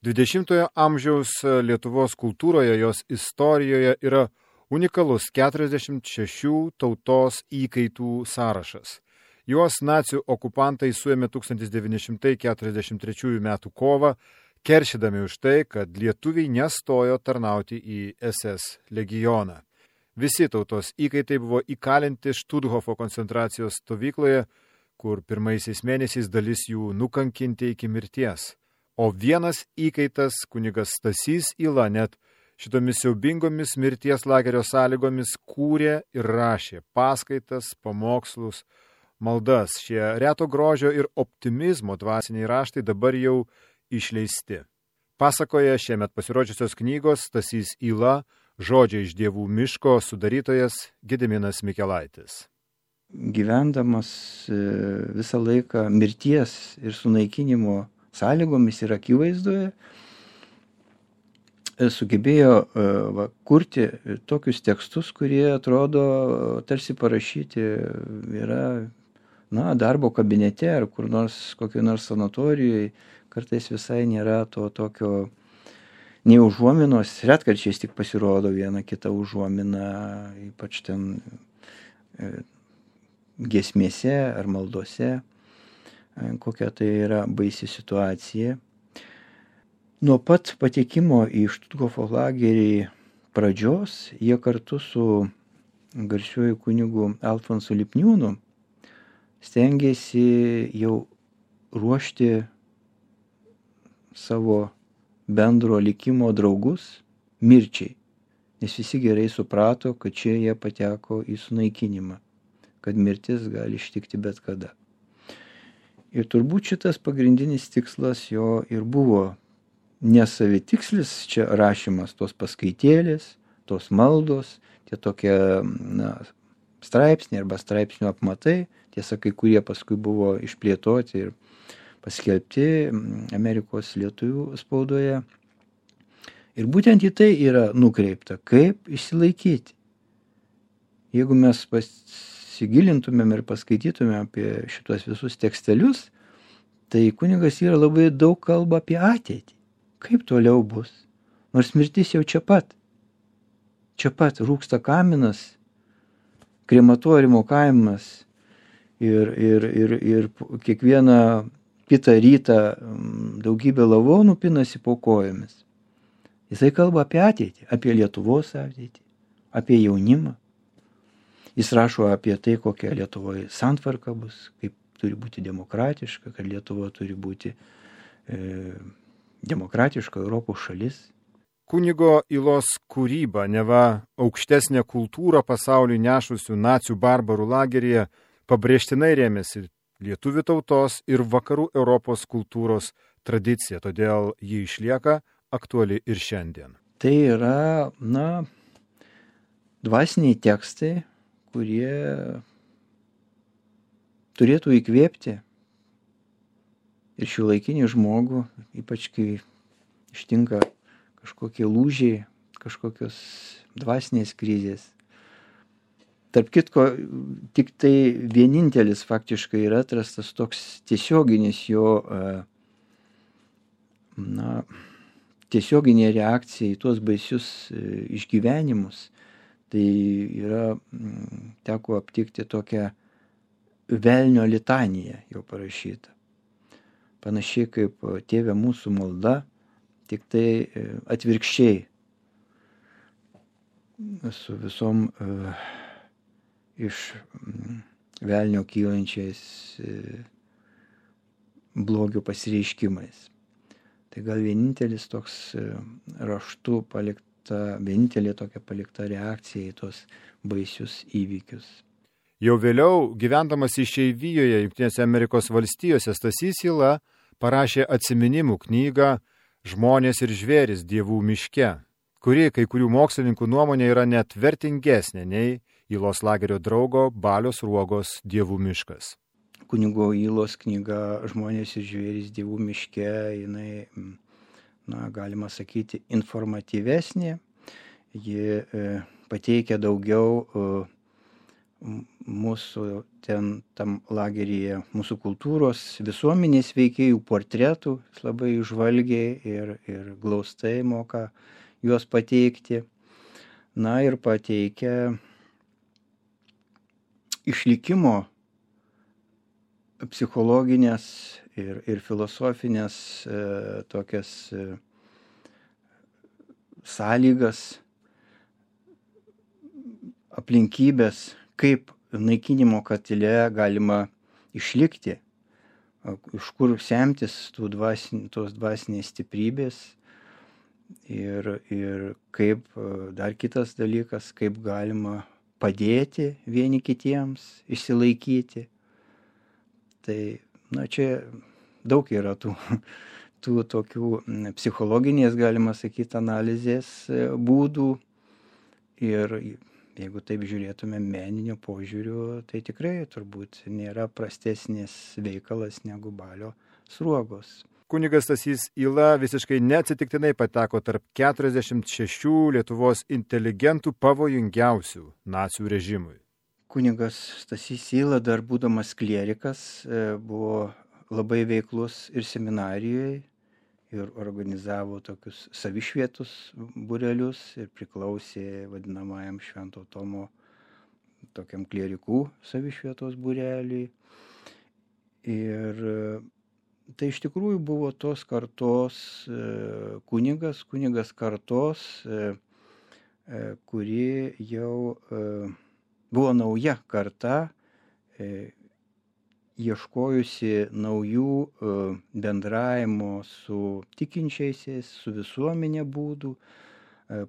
20-ojo amžiaus Lietuvos kultūroje, jos istorijoje yra unikalus 46 tautos įkaitų sąrašas. Juos nacių okupantai suėmė 1943 m. kovą, keršydami už tai, kad lietuviai nestojo tarnauti į SS legioną. Visi tautos įkaitai buvo įkalinti Štuthofo koncentracijos stovykloje, kur pirmaisiais mėnesiais dalis jų nukankinti iki mirties. O vienas įkaitas, kunigas Stasys Yla, net šitomis siaubingomis mirties lagerio sąlygomis kūrė ir rašė paskaitas, pamokslus, maldas. Šie reto grožio ir optimizmo dvasiniai raštai dabar jau išleisti. Pasakoja šiemet pasirodžiusios knygos Stasys Yla, Žodžiai iš dievų miško sudarytojas Gediminas Mikelaitis. Gyvendamas visą laiką mirties ir sunaikinimo sąlygomis ir akivaizdoje, sugebėjo kurti tokius tekstus, kurie atrodo tarsi parašyti yra darbo kabinete ar kur nors kokioj nors sanatorijoje. Kartais visai nėra to tokio nei užuominos, retkarčiais tik pasirodo viena kita užuomina, ypač ten giesmėse ar maldose, kokia tai yra baisi situacija. Nuo pat patekimo į Štuthofo lagerį pradžios jie kartu su garsiuoju kunigu Alfonsu Lipniūnu stengėsi jau ruošti savo bendro likimo draugus mirčiai, nes visi gerai suprato, kad čia jie pateko į sunaikinimą, kad mirtis gali ištikti bet kada. Ir turbūt šitas pagrindinis tikslas jo ir buvo nesavitikslis čia rašymas, tos paskaitėlės, tos maldos, tie tokie straipsniai arba straipsnių apmatai, tiesa, kai kurie paskui buvo išplėtoti ir paskelbti Amerikos lietuvių spaudoje. Ir būtent į tai yra nukreipta, kaip išsilaikyti. Jeigu mes pasigilintumėm ir paskaitytumėm apie šitos visus tekstelius, tai kunigas yra labai daug kalba apie ateitį. Kaip toliau bus? Nors mirtis jau čia pat. Čia pat rūksta kaminas, krematoriumo kaimas ir kiekvieną kitą rytą daugybė lavonų pinasi po kojomis. Jisai kalba apie ateitį, apie Lietuvos ateitį, apie jaunimą. Jis rašo apie tai, kokia Lietuvoje santvarka bus, kaip turi būti demokratiška, kad Lietuva turi būti demokratiška Europos šalis. Kunigo Ylos kūryba, neva aukštesnė kultūra pasauliui nešusių nacių barbarų lageryje, pabrėžtinai rėmėsi lietuvių tautos ir vakarų Europos kultūros tradicija, todėl ji išlieka aktuali ir šiandien. Tai yra, dvasiniai tekstai, kurie turėtų įkvėpti ir šiuolaikinį žmogų, ypač kai ištinka kažkokie lūžiai, kažkokios dvasinės krizės. Tarp kitko, tik tai vienintelis faktiškai yra atrastas toks tiesioginis jo, tiesioginė reakcija į tuos baisius išgyvenimus. Tai yra, teko aptikti tokią velnio litaniją jo parašytą. Panašiai kaip Tėve mūsų malda, tik tai atvirkščiai su visom iš velnio kylančiais blogio pasireiškimais. Tai gal vienintelis toks raštu vienintelė tokia palikta reakcija į tos baisius įvykius. Jau vėliau, gyvendamas išeivijoje Jungtinėse Amerikos valstijose, Stasys Yla parašė atsiminimų knygą Žmonės ir žvėris dievų miške, kuri kai kurių mokslininkų nuomonė yra net vertingesnė nei Ylos lagerio draugo Balio Sruogos Dievų miškas. Kunigo Ylos knyga Žmonės ir žvėris dievų miške, jinai, galima sakyti, informatyvesnė. Ji pateikia daugiau mūsų ten tam lageryje, mūsų kultūros, visuomenės veikėjų portretų, jis labai žvalgiai ir glaustai moka juos pateikti. Na ir pateikia išlikimo psichologinės ir filosofinės tokias sąlygas, aplinkybės, kaip naikinimo katile galima išlikti, iš kur semtis tos dvasinės stiprybės ir kaip dar kitas dalykas, kaip galima padėti vieni kitiems išsilaikyti. Tai, čia daug yra tų tokių psichologinės, galima sakyti, analizės būdų. Ir jeigu taip žiūrėtume meniniu požiūriu, tai tikrai turbūt nėra prastesnis veikalas negu Balio Sruogos. Kunigas Stasys Yla visiškai neatsitiktinai pateko tarp 46 Lietuvos inteligentų pavojingiausių nacių režimui. Kunigas Stasys Yla, dar būdamas klierikas, buvo labai veiklus ir seminarijoje ir organizavo tokius savišvietus būrelius ir priklausė vadinamajam Švento Tomo tokiam klierikų savišvietos būreliui. Ir tai iš tikrųjų buvo tos kartos kunigas kartos, kuri jau buvo nauja karta, ieškojusi naujų bendravimo su tikinčiaisiais, su visuomenė būdų,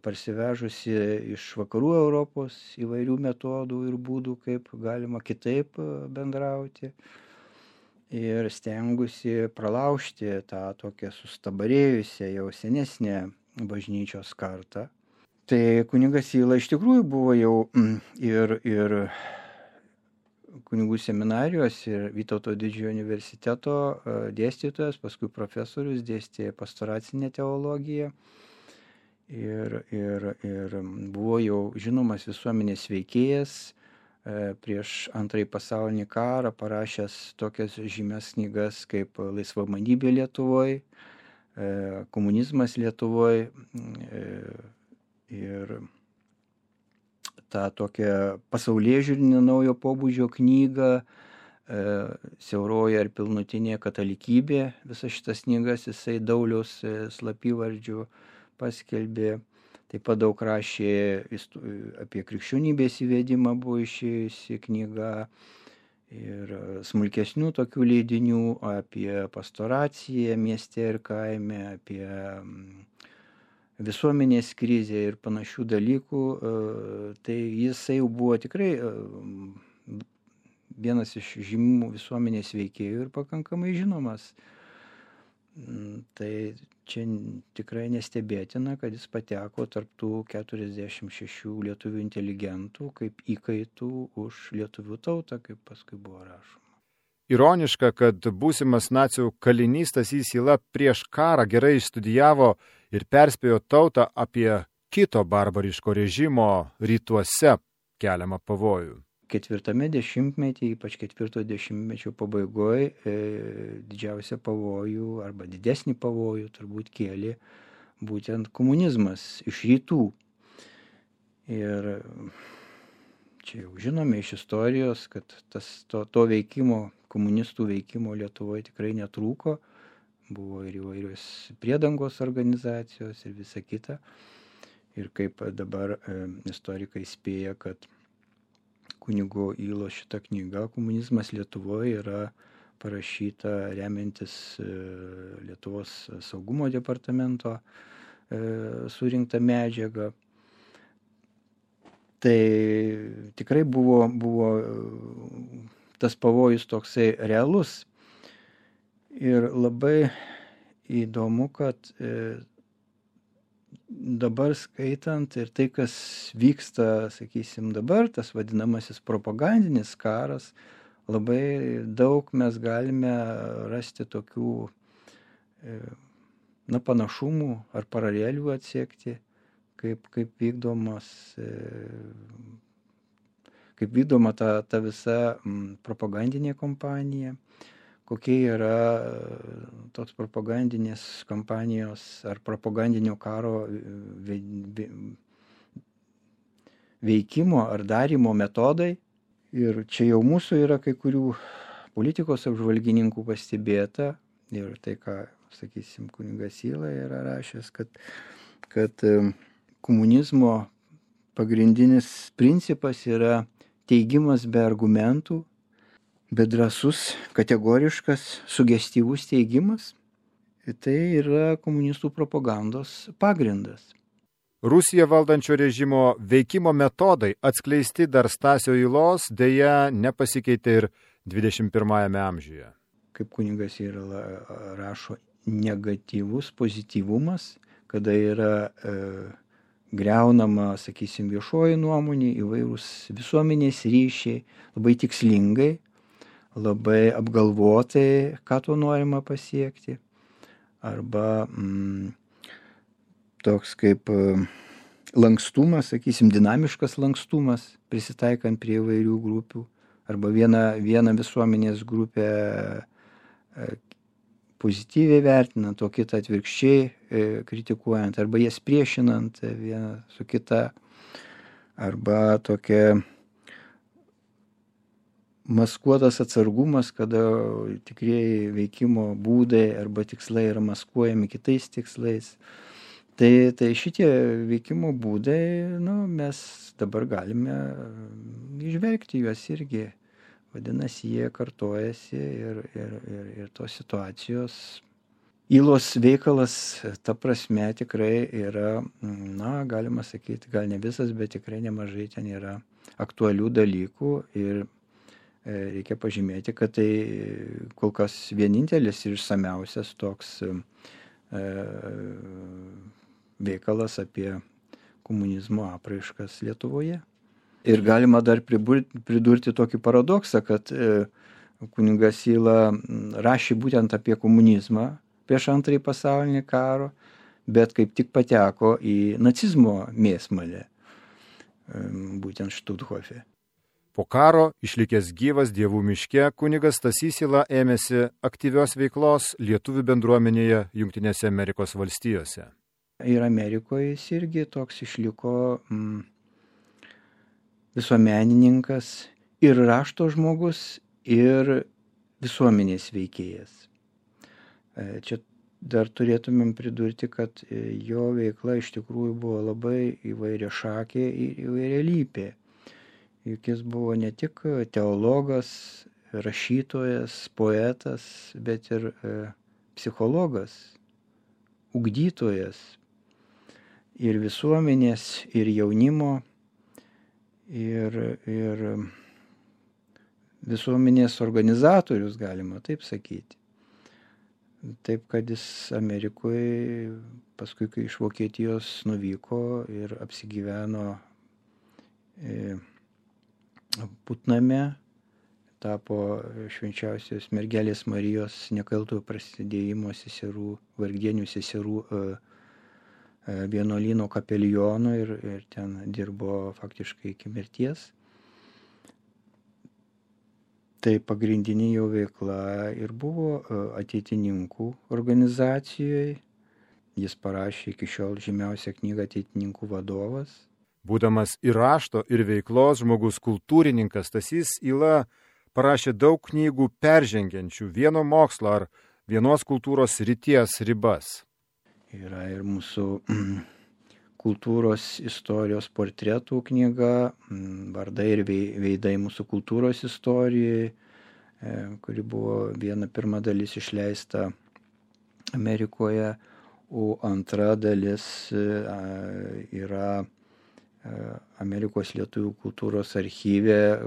parsivežusi iš vakarų Europos įvairių metodų ir būdų, kaip galima kitaip bendrauti ir stengusi pralaužti tą tokią sustabarėjusią jau senesnę bažnyčios kartą. Tai kunigas Yla iš tikrųjų buvo jau ir kunigų seminarijos ir Vytauto didžiojo universiteto dėstytojas, paskui profesorius, dėstė pastoracinę teologiją ir buvo jau žinomas visuomenės veikėjas, prieš Antrąjį pasaulinį karą parašęs tokias žymias knygas kaip Laisvamanybė Lietuvoje, Komunizmas Lietuvoje ir tą tokią pasaulėžiūrinę naujo pobūdžio knygą Siauroji ar pilnutinė katalikybė. Visas šitas knygas jisai Dauliaus slapyvardžiu paskelbė. Taip pat daug rašė apie krikščionybės įvedimą, buvo išėjusi knyga ir smulkesnių tokių leidinių apie pastoraciją mieste ir kaime, apie visuomenės krizė ir panašių dalykų, tai jisai jau buvo tikrai vienas iš žymių visuomenės veikėjų ir pakankamai žinomas. Tai čia tikrai nestebėtina, kad jis pateko tarp tų 46 lietuvių inteligentų kaip įkaitų už lietuvių tautą, kaip paskui buvo rašoma. Ironiška, kad būsimas nacių kalinys Stasys Yla prieš karą gerai išstudijavo ir perspėjo tautą apie kito barbariško režimo rytuose keliamą pavojų. 4 dešimtmetį, ypač 4 dešimtmečio pabaigoje, didžiausią pavojų arba didesnį pavojų turbūt kėlė būtent komunizmas iš rytų. Ir čia jau žinome iš istorijos, kad to veikimo, komunistų veikimo Lietuvoje tikrai netrūko. Buvo ir įvairios priedangos organizacijos ir visa kita. Ir kaip dabar istorikai spėja, kad kunigo Ylos šita knyga Komunizmas Lietuvoje yra parašyta remiantis Lietuvos saugumo departamento surinktą medžiagą. Tai tikrai buvo tas pavojus toksai realus. Ir labai įdomu, kad dabar skaitant ir tai, kas vyksta, sakysim, dabar, tas vadinamasis propagandinis karas, labai daug mes galime rasti tokių panašumų ar paralelių atsekti, kaip vykdomos kaip vykdoma ta visa propagandinė kompanija, kokie yra tos propagandinės kampanijos ar propagandinio karo veikimo ar darymo metodai. Ir čia jau mūsų yra kai kurių politikos apžvalgininkų pastebėta ir tai, ką, sakysim, kunigas Yla yra rašęs, kad komunizmo pagrindinis principas yra teigimas be argumentų, bet drąsus, kategoriškas, sugestyvus teigimas. Ir tai yra komunistų propagandos pagrindas. Rusiją valdančio režimo veikimo metodai atskleisti dar Stasio Ylos dėja nepasikeitė ir 21 amžiuje. Kaip kunigas Yla rašo, negatyvus pozityvumas, kada yra griaunama, sakysim, viešoji nuomonė, įvairūs visuomenės ryšiai, labai tikslingai, labai apgalvotai, ką to norima pasiekti. Arba toks kaip lankstumas, sakysim, dinamiškas lankstumas, prisitaikant prie įvairių grupių. Arba vieną visuomenės grupę pozityviai vertinant, o kitą atvirkščiai kritikuojant, arba jas priešinant vieną su kita, arba tokia maskuotas atsargumas, kada tikrieji veikimo būdai arba tikslai yra maskuojami kitais tikslais. Tai šitie veikimo būdai, mes dabar galime įžvelgti juos irgi. Vadinasi, jie kartojasi ir tos situacijos. Ylos veikalas, ta prasme, tikrai yra, galima sakyti, gal ne visas, bet tikrai nemažai ten yra aktualių dalykų ir reikia pažymėti, kad tai kol kas vienintelis ir išsamiausias toks veikalas apie komunizmo apraiškas Lietuvoje. Ir galima dar pridurti tokį paradoksą, kad kunigas Yla rašė būtent apie komunizmą prieš Antrąjį pasaulinį karą, bet kaip tik pateko į nacizmo mėsmalę, būtent Štuthofe. Po karo, išlikęs gyvas Dievų miške, kunigas Stasys Yla ėmėsi aktyvios veiklos lietuvių bendruomenėje Jungtinėse Amerikos valstijose. Ir Amerikoje jis irgi toks išliko visuomenininkas ir rašto žmogus, ir visuomenės veikėjas. Čia dar turėtumėm pridurti, kad jo veikla iš tikrųjų buvo labai įvairiašakė ir įvairialypė. Juk jis buvo ne tik teologas, rašytojas, poetas, bet ir psichologas, ugdytojas ir visuomenės, ir jaunimo, ir visuomenės organizatorius, galima taip sakyti. Taip, kad jis Amerikoje, paskui kai iš Vokietijos nuvyko ir apsigyveno Putname, tapo švenčiausios mergelės Marijos nekaltojo prasidėjimo seserų, vargdienių seserų vienuolyno kapelionu ir ten dirbo faktiškai iki mirties. Tai pagrindinė jo veikla ir buvo ateitininkų organizacijoje. Jis parašė iki šiol žymiausią knygą Ateitininkų vadovas. Būdamas ir rašto, ir veiklos žmogus kultūrininkas, Stasys Yla parašė daug knygų peržengiančių vieno mokslo ar vienos kultūros srities ribas. Yra ir mūsų kultūros istorijos portretų knyga, vardai ir veidai mūsų kultūros istorijoje, kuri buvo pirma dalis išleista Amerikoje, o antra dalis yra Amerikos lietuvių kultūros archyve,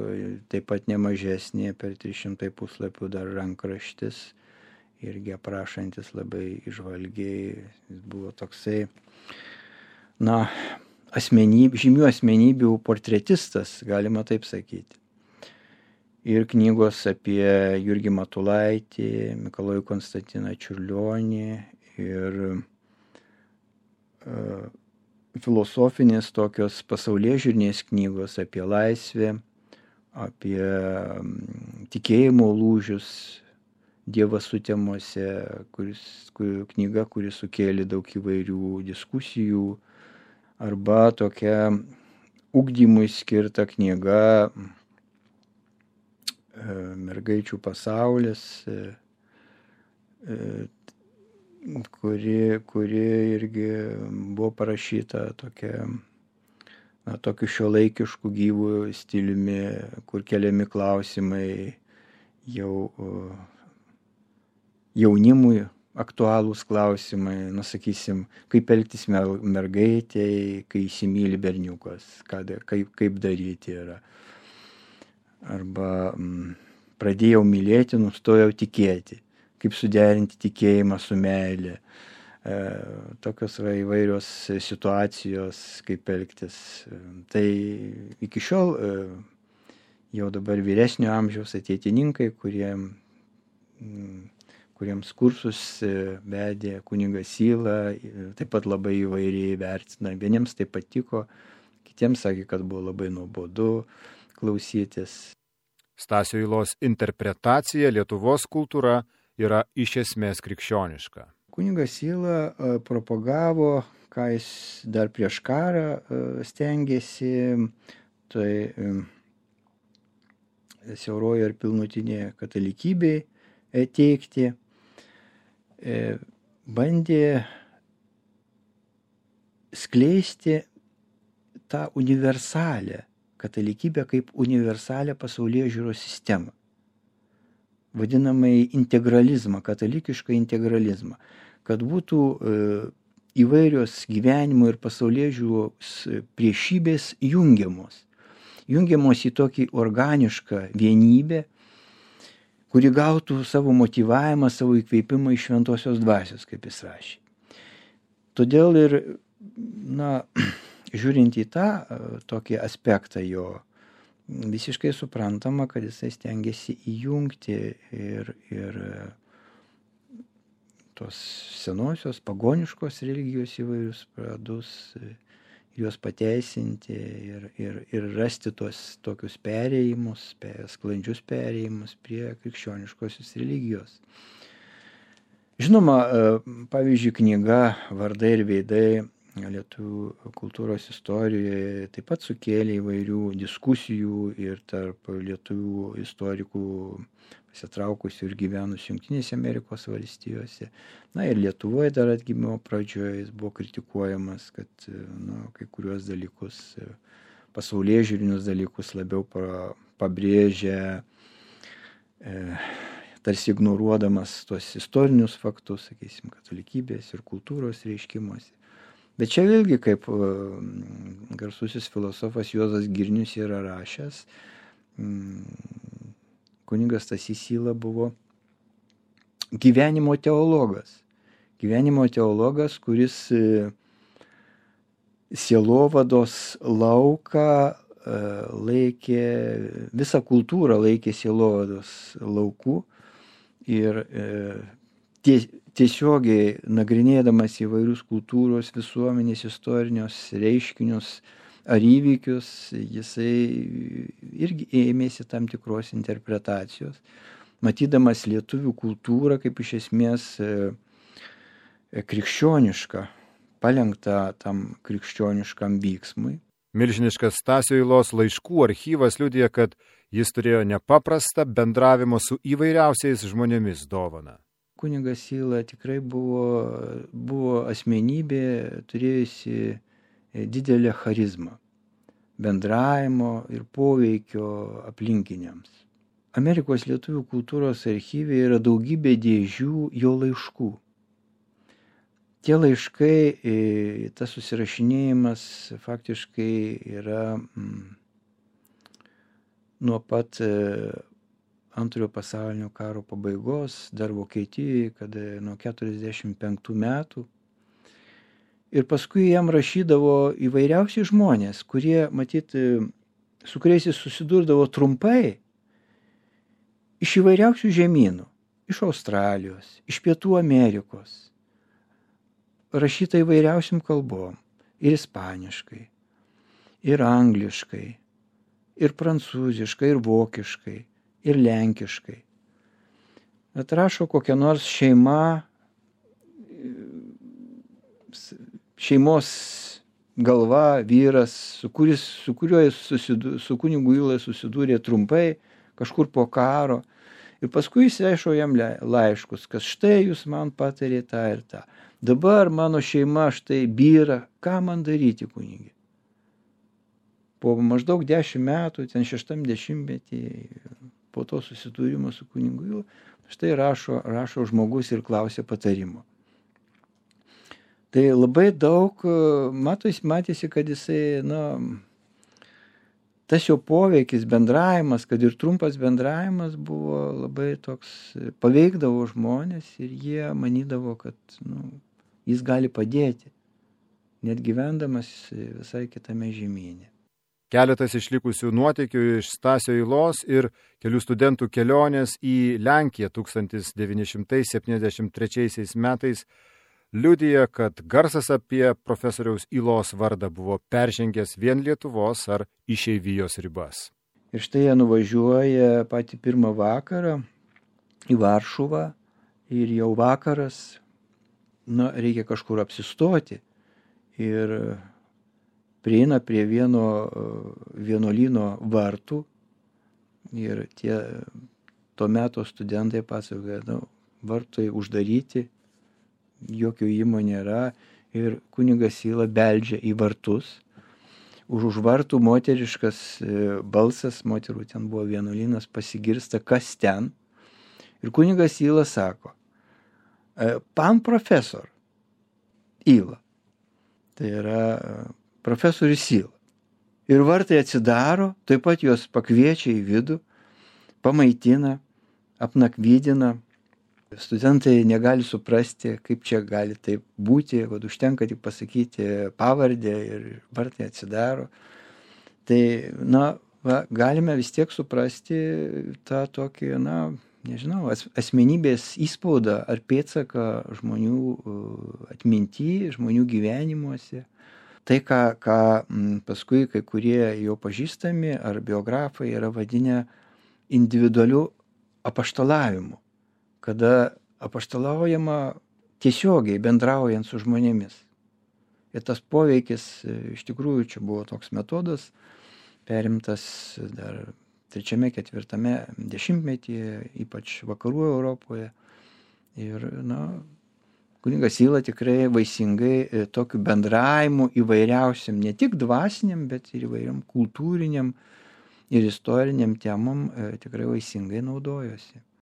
taip pat nemažesnė, per 300 puslapių dar rankraštis, irgi aprašantis labai įžvalgiai. Jis buvo toksai, žymių asmenybių portretistas, galima taip sakyti. Ir knygos apie Jurgį Matulaitį, Mikalojų Konstantiną Čiurlionį ir filosofinės tokios pasaulėžiūrinės knygos apie laisvę, apie tikėjimo lūžius Dievas sutemose, knyga, kuri sukėlė daug įvairių diskusijų, arba tokia ugdymui skirta knyga Mergaičių pasaulis, kuri irgi buvo parašyta tokiu šiuolaikišku gyvu stiliumi, kur keliami klausimai jau jaunimui aktualūs klausimai, sakysim, kaip elgtis mergaitei, kai įsimyli berniukas, kaip daryti yra. Arba pradėjau mylėti, nustojau tikėti, kaip suderinti tikėjimą su meilė. Tokios yra įvairios situacijos, kaip elgtis. Tai iki šiol jau dabar vyresnio amžiaus ateitininkai, kuriems kursus vedė kunigas Syla, taip pat labai įvairiai vertina. Vieniems tai patiko, kitiems sakė, kad buvo labai nuobodu klausytis. Stasio Ylos interpretacija Lietuvos kultūra yra iš esmės krikščioniška. Kunigas Syla propagavo, ką jis dar prieš karą stengėsi, tai siauroji ir pilnutinė katalikybei teikti. Bandė skleisti tą universalę katalikybę kaip universalę pasaulėžiūros sistemą. Vadinamai integralizmą, katalikišką integralizmą. Kad būtų įvairios gyvenimo ir pasaulėžiūros priešybės jungiamos. Jungiamos į tokį organišką vienybę, kuri gautų savo motyvavimą, savo įkvėpimą iš šventosios dvasios, kaip jis rašė. Todėl ir, žiūrint į tą tokį aspektą jo, visiškai suprantama, kad jisai stengiasi įjungti ir tos senosios pagoniškos religijos įvairius pradus, juos pateisinti ir rasti tuos tokius perėjimus, sklandžius perėjimus prie krikščioniškosios religijos. Žinoma, pavyzdžiui, knyga Vardai ir veidai lietuvių kultūros istorijoje taip pat sukėlė įvairių diskusijų ir tarp lietuvių istorikų pasitraukusių ir gyvenusių Jungtinėse Amerikos valstijose. Ir Lietuvoje dar atgimimo pradžioje jis buvo kritikuojamas, kad kai kuriuos dalykus, pasaulėžiūrinius dalykus labiau pabrėžia, tarsi ignoruodamas tuos istorinius faktus, sakysim, katalikybės ir kultūros reiškimuose. Bet čia vėlgi, kaip garsusis filosofas Juozas Girnius yra rašęs, kunigas Stasys Syla buvo gyvenimo teologas. Gyvenimo teologas, kuris sielovados lauką laikė, visą kultūrą laikė sielovados laukų ir tiesiogiai nagrinėdamas įvairius kultūros, visuomenės, istorinius reiškinius ar įvykius, jisai irgi ėmėsi tam tikros interpretacijos, matydamas lietuvių kultūrą kaip iš esmės krikščionišką, palenktą tam krikščioniškam vyksmui. Milžiniškas Stasio Ylos laiškų archyvas liudija, kad jis turėjo nepaprastą bendravimo su įvairiausiais žmonėmis dovaną. Kunigas Syla tikrai buvo asmenybė, turėjusi didelę charizmą, bendravimo ir poveikio aplinkiniams. Amerikos lietuvių kultūros archyve yra daugybė dėžių jo laiškų. Tie laiškai, tas susirašinėjimas faktiškai yra nuo pat Antrojo pasaulinio karo pabaigos, dar Vokietijoje, kada nuo 45 metų. Ir paskui jam rašydavo įvairiausi žmonės, kurie, matyt, su kuriais jis susidurdavo trumpai iš įvairiausių žemynų, iš Australijos, iš Pietų Amerikos, rašyta įvairiausiam kalbom, ir ispaniškai, ir angliškai, ir prancūziškai, ir vokiškai, ir lenkiškai. Bet rašo kokia nors šeimos galva, vyras, su kuriuo su kunigu Ylai susidūrė trumpai, kažkur po karo. Ir paskui jis rašo jam laiškus, kad štai jūs man patarė tą ir tą. Dabar mano šeima štai byra, ką man daryti, kunigi? Po maždaug 10 metų, ten 60-metį, po to susidūrimo su kunigu Ylai, štai rašo žmogus ir klausia patarimo. Tai labai daug, matėsi, kad jisai, tas jo poveikis, bendravimas, kad ir trumpas bendravimas buvo labai toks, paveikdavo žmonės ir jie manydavo, kad jis gali padėti, net gyvendamas visai kitame žemyne. Keletas išlikusių nuotykių iš Stasio Ylos ir kelių studentų kelionės į Lenkiją 1973 metais liudija, kad garsas apie profesoriaus Ylos vardą buvo peržengęs vien Lietuvos ar išeivijos ribas. Ir štai jie nuvažiuoja patį pirmą vakarą į Varšuvą ir jau vakaras, reikia kažkur apsistoti. Ir prieina prie vieno vienuolyno vartų ir to meto studentai pasakoja, vartai uždaryti, jokio įmo nėra ir kunigas Yla beldžia į vartus. Už vartų moteriškas balsas, moterų ten buvo vienuolynas, pasigirsta, kas ten. Ir kunigas Yla sako, pan profesor Yla. Tai yra profesorius Yla. Ir vartai atsidaro, taip pat juos pakviečia į vidų, pamaitina, apnakvydina. Studentai negali suprasti, kaip čia gali taip būti, kad užtenka tik pasakyti pavardę ir vartai atsidaro. Tai, galime vis tiek suprasti tą tokį, nežinau, asmenybės įspaudą ar pėdsaką žmonių atminty, žmonių gyvenimuose. Tai, ką paskui kai kurie jo pažįstami ar biografai yra vadinę individualiu apaštalavimu, kada apaštalaujama tiesiogiai bendraujant su žmonėmis. Ir tas poveikis, iš tikrųjų, čia buvo toks metodas, perimtas dar 3-4 dešimtmetyje, ypač vakarų Europoje. Ir, kunigas Yla tikrai vaisingai tokiu bendravimu įvairiausiam, ne tik dvasiniam, bet ir įvairiam kultūriniam ir istoriniam temam tikrai vaisingai naudojosi.